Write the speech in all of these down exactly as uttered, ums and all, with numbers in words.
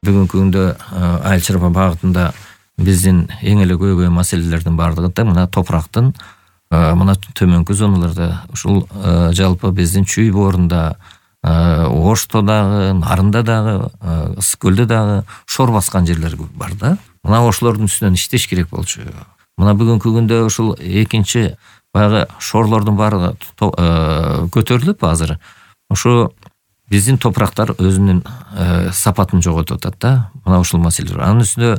Бүгүнкү күндө айыл чарба багытында биздин эң эле көйгөй маселелердин бардыгы да мына топурактын мына төмөнкү зоналарда ушул жалпы биздин Чүй боорунда, Ошто дагы, Нарында дагы, Ысык көлдө дагы шор баскан жерлер бар да. Мына ошолордун үстүнөн иштеш керек болчу. Мына бүгүнкү күндө ушул экинчи баягы шорлордун баары көтөрүлүп азыр ошо биздин топурактар өзүнүн сапатын жоготуп атат да. Мына ушул маселелер. Анын үстүнө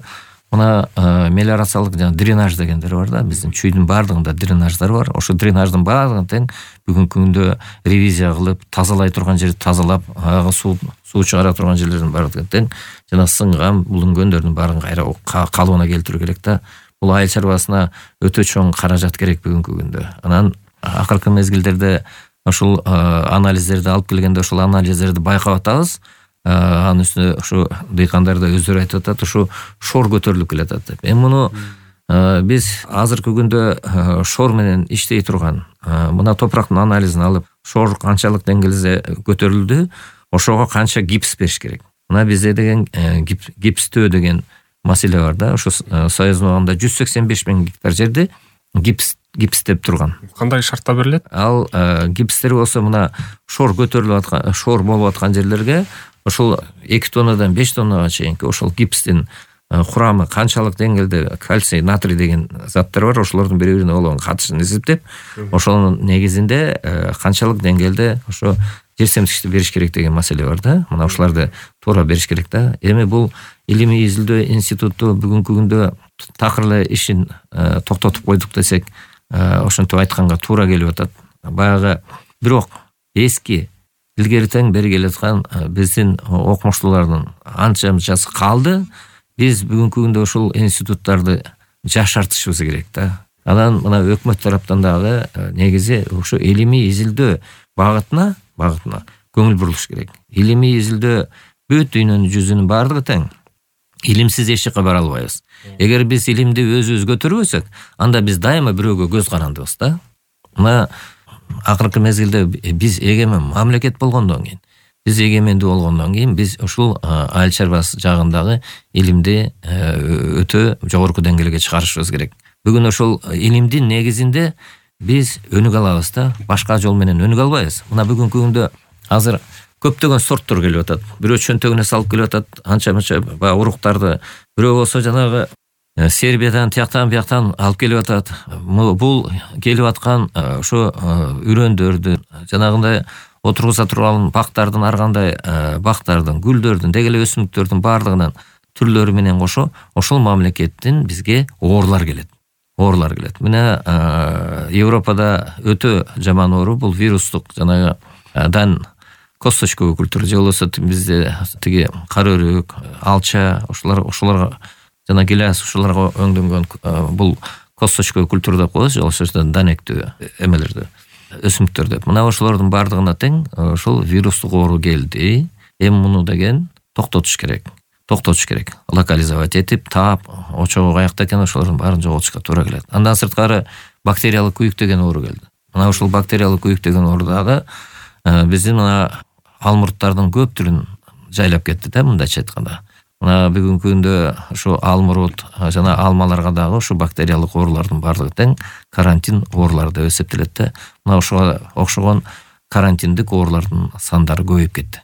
мына мелиорациялык жана дренаж дегендер бар да. Биздин Чүйдүн баардыгында дренаждар бар. Ошо дренаждын баардыгын тең бүгүнкү күндө ревизия кылып, тазалай турган жерди тазалап, ага суу суу чыгара турган жерлердин баардыгын тең жана сынган, булунгөндөрдүн баарын кайра калыбына келтирүү керек да. Бул айыл чарбасына өтө чоң каражат керек бүгүнкү күндө. Анан акыркы мезгилдерде ошол анализдерди алып келгенде ошол анализдерди байкап атабыз. Анын үстүнө ушу дыйкандар да өздөрү айтып атат, ушу шор көтөрүлүп келатат деп. Эми муну биз азыркы күндө шор менен иштей турган мына топурактын анализин алып, шор канчалык деңгээлде көтөрүлдү, ошого канча гипс бериш керек. Мына бизде деген гипстөө деген маселе бар да. Ошо Союздун убагында жүз сексен беш миң гектар жерди гипс гипстеп турган. Кандай шартта берилет? Ал гипстер болсо мына шор көтөрүлүп аткан, шор болуп аткан жерлерге ошол эки тоннадан беш тоннага чейинки ошол гипстин курамы канчалык деңгээлде кальций, натрий деген заттар бар, ошолордун бири бирине болгон катышын эсептеп, ошонун негизинде канчалык деңгээлде ошо жер семтикчти бериш керек деген маселе бар да. Мына ошолорду туура бериш керек да. Эми бул илимий изилдөө институту бүгүнкү күндө такыр эле ишин токтотуп койдук десек, ошентип айтканга туура келип атат. Баягы бирок эски илгери тең бери келаткан биздин окумуштуулардын анча мынчасы калды. Биз бүгүнкү күндө ушул институттарды жашартышыбыз керек да. Анан мына өкмөт тараптан дагы негизи ушу илимий изилдөө багытына багытына көңүл бурулуш керек. Илимий изилдөө бүт дүйнөнүн жүзүнүн баардыгы тең. Илимсиз эч жакка бара албайбыз. Эгер биз илимди өзүбүз көтөрбөсөк, анда биз дайыма бирөөгө көз карандыбыз да. Мына акыркы мезгилде биз эгемен мамлекет болгондон кийин, биз эгемендүү болгондон кийин биз ушул айыл чарбасы жагындагы илимди өтө жогорку деңгээлге чыгарышыбыз керек. Бүгүн ошол илимдин негизинде биз өнүгө алабыз да, башка жол менен өнүгө албайбыз. Мына бүгүнкү күндө азыр көптөгөн сорттор келип атат. Бирөө чөнтөгүнө салып келип атат, анча-мынча баягы уруктарды, бирөө болсо жанагы Сербиядан, тияктан, бияктан алып келип атат. Бул келип аткан ошо үрөндөрдү, жанагындай отургуза турган бактардын, ар кандай бактардын, гүлдөрдүн, деги эле өсүмдүктөрдүн баардыгынын түрлөрү менен кошо ошол мамлекеттин бизге оорлар келет. Оорлар келет. Мына Европада өтө жаман оору бул вирустук жанагы дан косточковый культура же болбосо бизде тиги кара өрүк, алча, ошолор ошолорго жана гиляс ушуларга өңдөнгөн бул косточковый культура деп коебуз, же ошо данектүү эмелерди, өсүмдүктөр деп. Мына ошолордун баардыгына тең ошол вирустук оору келди. Эми муну деген токтотуш керек. Токтотуш керек. Локализовать этип, таап, очогу каякта экен ошолордун баарын жоготушка туура келет. Андан сырткары бактериялык күйүк деген оору келди. Мына ушул бактериялык күйүк деген оору дагы биздин мына алмурттардын көп түрүн жайлап кетти да, мындайча айтканда. Мына бүгүнкү күндө ушу алмурут жана алмаларга дагы ушу бактериялык оорулардын баардыгы тең карантин оорулары деп эсептелет да. Мына ошого окшогон карантиндик оорулардын сандары көбөйүп кетти.